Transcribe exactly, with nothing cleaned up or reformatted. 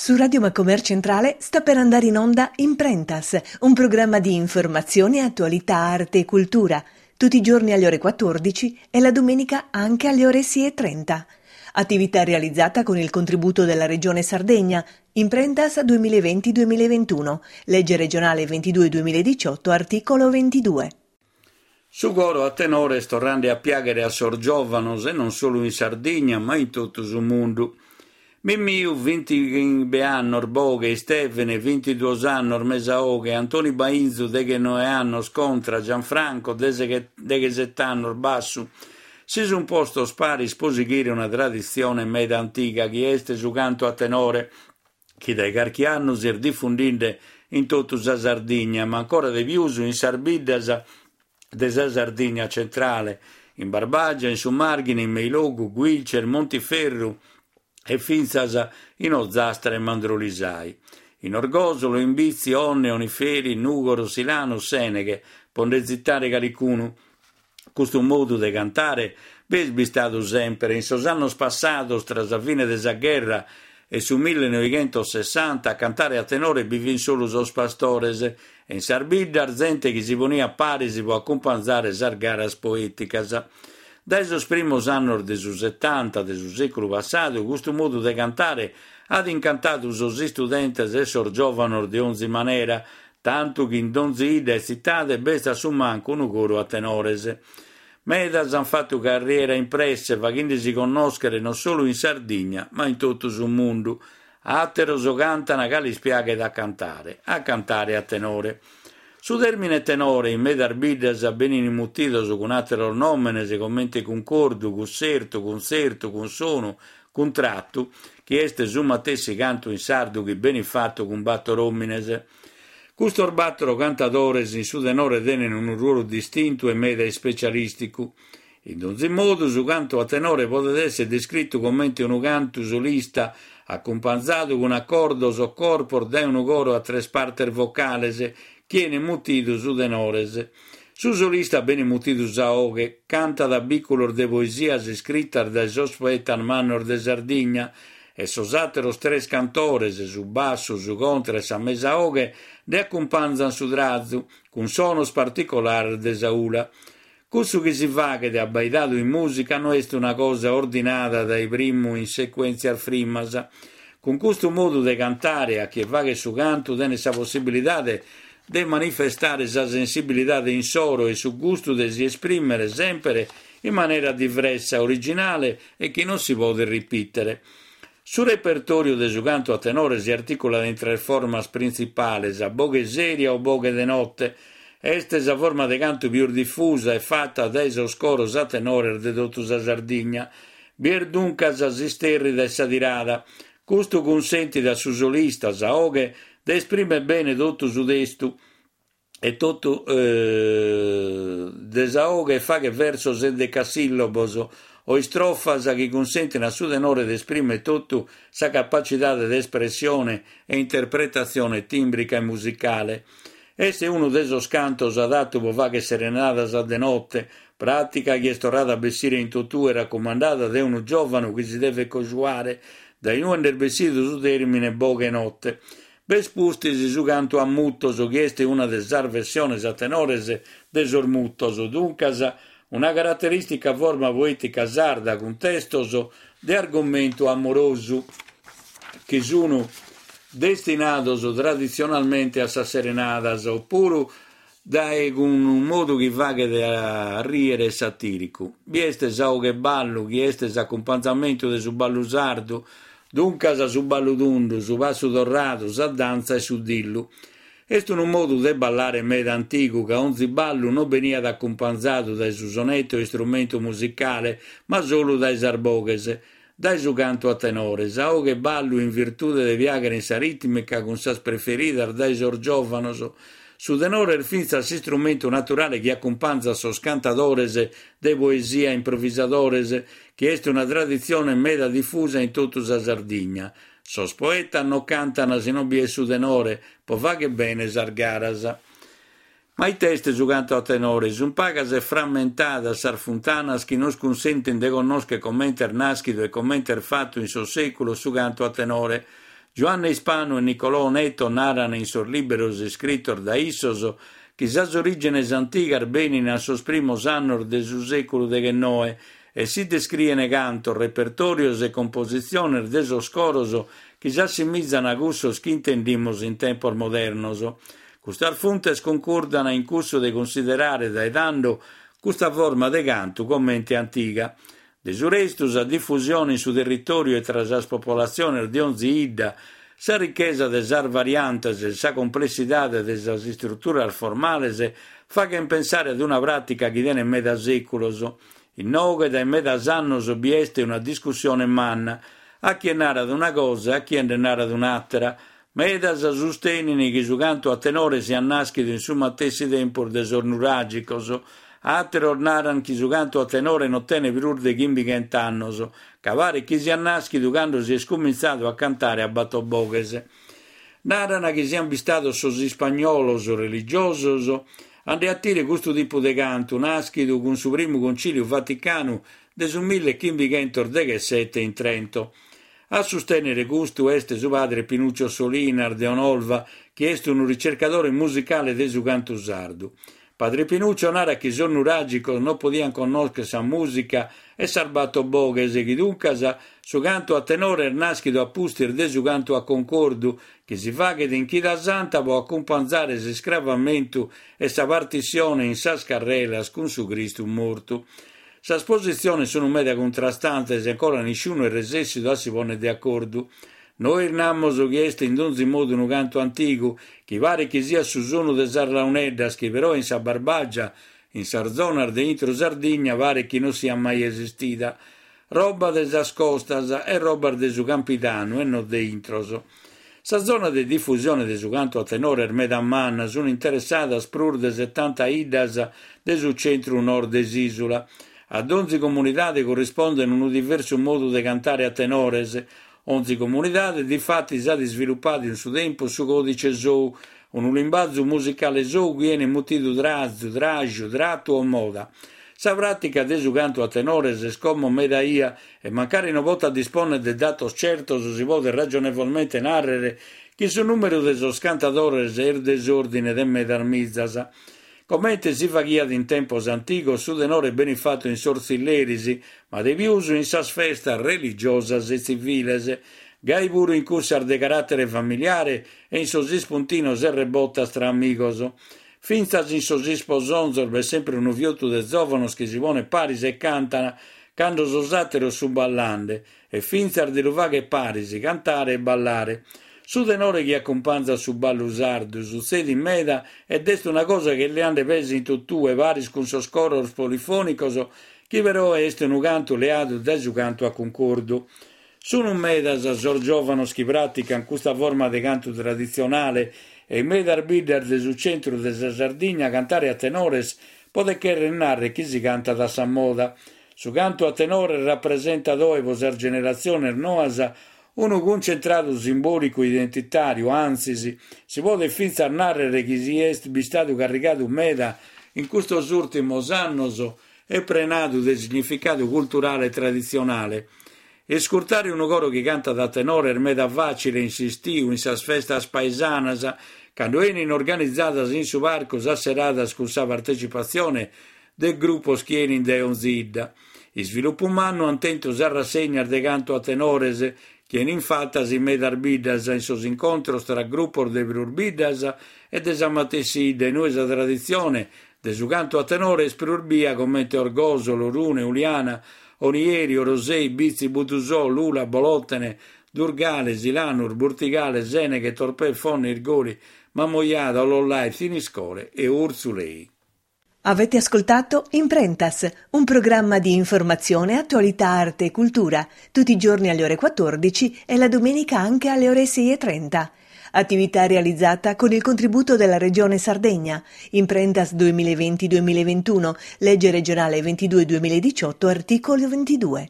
Su Radio Macomer Centrale sta per andare in onda Imprentas, un programma di informazione, attualità, arte e cultura, tutti i giorni alle ore quattordici e la domenica anche alle ore sei e trenta. Attività realizzata con il contributo della Regione Sardegna, Imprentas duemilaventi duemilaventuno, legge regionale ventidue duemiladiciotto, articolo ventidue. Su coro a tenore est torrende a piàghere a sos giòvanos e non solu in Sardigna ma in totu su mundu. Mimmiu, bintighimbe annos, boghe, Istèvene, bintiduos annos, mesa 'oghe, Antoni Bainzu, deghenoe annos, contra, Gianfranco, deghesete annos, bassu, si sunt postos paris pro sighire una traditzione meda antiga chi est su cantu a tenore, chi dae carchi annu si est difundende in totu sa Sardigna, ma ancora de pius in sas biddas de sa Sardigna centrale, in Barbagia, in su Marghine, in Meilogu, Guilcer, Montiferru e fintzas in Ozastra e Mandrolisai. In Orgosolo, in Bitzi, Onne, Oniferi, Nùgoro, Silano, Sèneghe, pro nde tzitare calicunu. Custu modu de cantare b'est bistadu semper in sos annos passados tra sa fine de sa gherra e su millenoighentosessanta a cantare a tenore bi fin solu sos pastores e in sas biddas zente chi si poniat paris pro acumpanzare sas garas poèticas. Dae sos primos annos de su setanta de su sèculu passadu custu modu de cantare at incantadu sos istudentes e sos giòvanos de onzi manera, tantu chi in donzi 'idda e tzitade b'est a su mancu unu coru a tenores. Medas ant fatu carriera in presse, faghende-si connòschere non solu in Sardigna, ma in totu su mundu. Àteros cantan ca lis piaghet a cantare, a cantare a tenore. Su tèrmine tenore in medas biddas benin mutidos cun àteros nòmenes comente cuncordu, cussertu, cuntzertu, cunsonu, cuntratu, chi est su matessi cantu in sardu chi benit fatu cun bator òmines. Custos bator cantadores in su tenore tenen unu ruolu distintu e meda ispecialìsticu. In donzi modu, su cantu a tenore podet èssere descritu comente unu cantu solista acumpanzadu cun acordos o corpos dae unu coro a tres partes vocales, chi 'enit mutidu su tenores. Su solista benit mutidu sa 'oghe, cantat bìculos de poesias iscritas dae sos poetas mannos de Sardigna e sos àteros tres cantores, su bassu, su contra e sa mesa 'oghe, nde acumpanzan su trazu, cun sonos particulares de sa 'ula. Cussu chi si faghet abbaidadu in mùsica no est una cosa ordinada dae primu in secuèntzias frimmas. Cun custu modu de cantare, a chie faghet su cantu tenet sa possibilidade de manifestare sa sensibilidade insoro e su gustu de si esprimere sempre in manera diversa, originale e chi non si podet ripìtere. Su repertòriu de su cantu a tenore si articulat in tres formas printzipales, a boghe sèria o boghe de note. Est sa forma de cantu pius difusa e fata dae sos coros a tenores de totu sa Sardigna. Bi est duncas s'istèrrida e sa tirada. Custu cunsentit a su solista, sa 'oghe, de esprimere bene totu su testu e totu de sa 'oghe e faghet versos endecasìllabos o istrofas chi cunsentin a su tenore de esprimere totu sa capacidade de espressione e interpretatzione tìmbrica e musicale. Est unu de sos cantos adatu pro fagher serenadas a de note, pràtica chi est torrada a bessire in totue racumandada dae unu giòvanu chi si devet cojuare, dae inue nd'est bessidu su tèrmine boghe note. B'est pustis su cantu a mutos, chi est una de sas versiones a tenores de sos mutos, duncas una caraterìstica forma poètica sarda cun testos de argomentu amorosu chi sun destinados traditzionalmente a sas serenadas, opuru dae cun unu modu chi faghet a rìere e satìricu. Bi est sa 'oghe ballu, chi est s'acumpanzamentu de su ballu sardu, duncas su ballu tundu, su passu torradu, sa dantza e su dillu. Est unu modu de ballare meda antigu, ca onzi ballu non beniat acumpanzadu dae su sonete o istrumentu musicale, ma solu dae sas boghes, dae su cantu a tenore. Sa 'oghe ballu in virtude de piàghere in sa rìtmica cun sas preferidas dae sos giòvanos. Su tenore est fintzas s'istrumentu naturale chi acumpanzat sos cantadores de poesia improvisadores, chi est una traditzione meda difusa in totu sa Sardigna. Sos poetas non cantan si non bi est su tenore, pro fagher bene sas garas. Ma ite est su cantu a tenore? Sunt pagas e frammentadas sas funtanas chi nos cunsentin de connòschere comente est nàschidu e comente est fatu in sos sèculos su cantu a tenore. Giuanne Ispanu e Nicolò Oneto naran in sos liberos iscritos dae issos chi sas origines antigas benin a sos primos annos de su seculu deghennoe e si descrien cantos, repertorios e compositziones de sos coros chi s'assimizan a cussos chi intendimos in tempos modernos. Custas funtes cuncurdan in cussu de cunsiderare dae tando custa forma de cantu comente antiga. De su restu, sa difusione in su territoriu e tra sas popolatziones de onzi 'idda, sa richesa de sas variantes e sa complessidade de sas istruturas formales faghen pensare ad una pratica chi tenet meda seculos. Inoghe dae medas annos bi est una discussione manna, a chie narat una cosa e a chie nde narat un'àtera. Medas sustenin chi su cantu a tenore siat nàschidu in su matessi tempus de sos nuràgicos, àteros naran chi su cantu a tenore non tenet prus de chimbighenta annos, ca paret chi siat nàschidu cando si est cumintzadu a cantare a bator boghes. Naran chi sian bistados sos ispagnolos religiosos a nde 'atire custu tipu de cantu, nàschidu cun su primu Conciliu Vaticanu de su millechimbichentos deghessete in Trento. A sustènnere custu est su padre Pinuccio Solinas de Onolva, chi est unu ricercadore musicale de su cantu sardu. Padre Pinuccio narat chi sos nuràgicos non podian connòschere sa mùsica e sas bator boghes, chi duncas su cantu a tenore est nàschidu a pustis de su cantu a concordu, chi si faghet in Chida Santa pro acumpanzare s'iscravamentu e sa partissione in sas carrelas cun su Cristu mortu. Sas positziones sunt meda cuntrastantes e ancora nisciunu est resessidu a si pònnere de acordu. Nois namos chi est in donzi modu unu cantu antigu, chi paret chi siat su sonu de sas launeddas, chi però in sa Barbagia, in sas zonas de intro Sardigna, paret chi non siat mai esistida. Roba de sas costas e robas de su Campidanu e non de intros. Sa zona de difusione de su cantu a tenore est meda manna, sunt interessadas prus de setanta 'iddas de su centru nord de s'ìsula. A donzi comunidade currispondet unu diversu modu de cantare a tenores. Onzi comunidade, difatis, at isvilupadu in su tempus su còdice sou, unu limbazu musicale sou chi 'enit mutidu trazu, traju, tratu o moda. Sa pràtica de su cantu a tenores est como meda 'ia e mancari non potat dispònnere de datos certos si podet ragionevolmente nàrrere chi su nùmeru de sos cantadores est de s'òrdine de medas mizas. Comente si faghiat in tempos antigos, su tenore benit fatu in sos tzilleris, ma de pius in sas festas religiosas e tziviles, gai puru in cussas de caràtere familiare e in sos ispuntinos e rebotas tra amigos. Fintzas in sos isposonzos b'est sempre unu fiotu de zòvanos chi si ponet paris e cantan cando sos àteros sunt ballande, e fintzas de lu fagher paris, cantare e ballare. Su tenore chi acumpanzat su ballu sardu sutzedit meda ed est una cosa chi est leande pese in totue paris cun sos coros polifònicos, chi però est unu cantu leadu dae su cantu a cuncordu. Sunt medas sos giòvanos chi pràtican custa forma de cantu traditzionale e in medas biddas de su centru de sa Sardigna cantare a tenores podet chèrrere nàrrere chi si cantat a sa moda. Su cantu a tenore rapresentat oe pro sas generatziones noas unu cuncentradu simbòlicu identitàriu, antzis, si podet fintzas nàrrere chi si est bistadu carrigadu meda in custos ùrtimos annos e prenadu de significadu culturale e traditzionale. Iscurtare unu coro chi cantat a tenore est meda fàcile in s'istiu, in sas festas paesanas, cando 'enin organizadas in su parcu sas seradas cun sa partecipatzione de grupos chi 'enin dae onzi 'idda. Isvilupu mannu ant tentu sas rassegnas de cantu a tenores, chi 'enin fatas in medas biddas, in sos incontros tra grupos de prus biddas e de sa matessi 'idda, inue sa traditzione de su cantu a tenore est prus bia comente Orgosolo, Orune, Uliana, Onieri, Orosei, Bitzi, Buddusò, Lula, Bolòtene, Durgale, Silanus, Burtigale, Sèneghe, Torpè, Fonne, Irgoli, Mamoiada, Ollolai, Thiniscole e Urzulei. Avete ascoltato Imprentas, un programma di informazione, attualità, arte e cultura, tutti i giorni alle ore quattordici e la domenica anche alle ore sei e trenta. Attività realizzata con il contributo della Regione Sardegna. Imprentas duemilaventi duemilaventuno, legge regionale ventidue duemiladiciotto, articolo ventidue.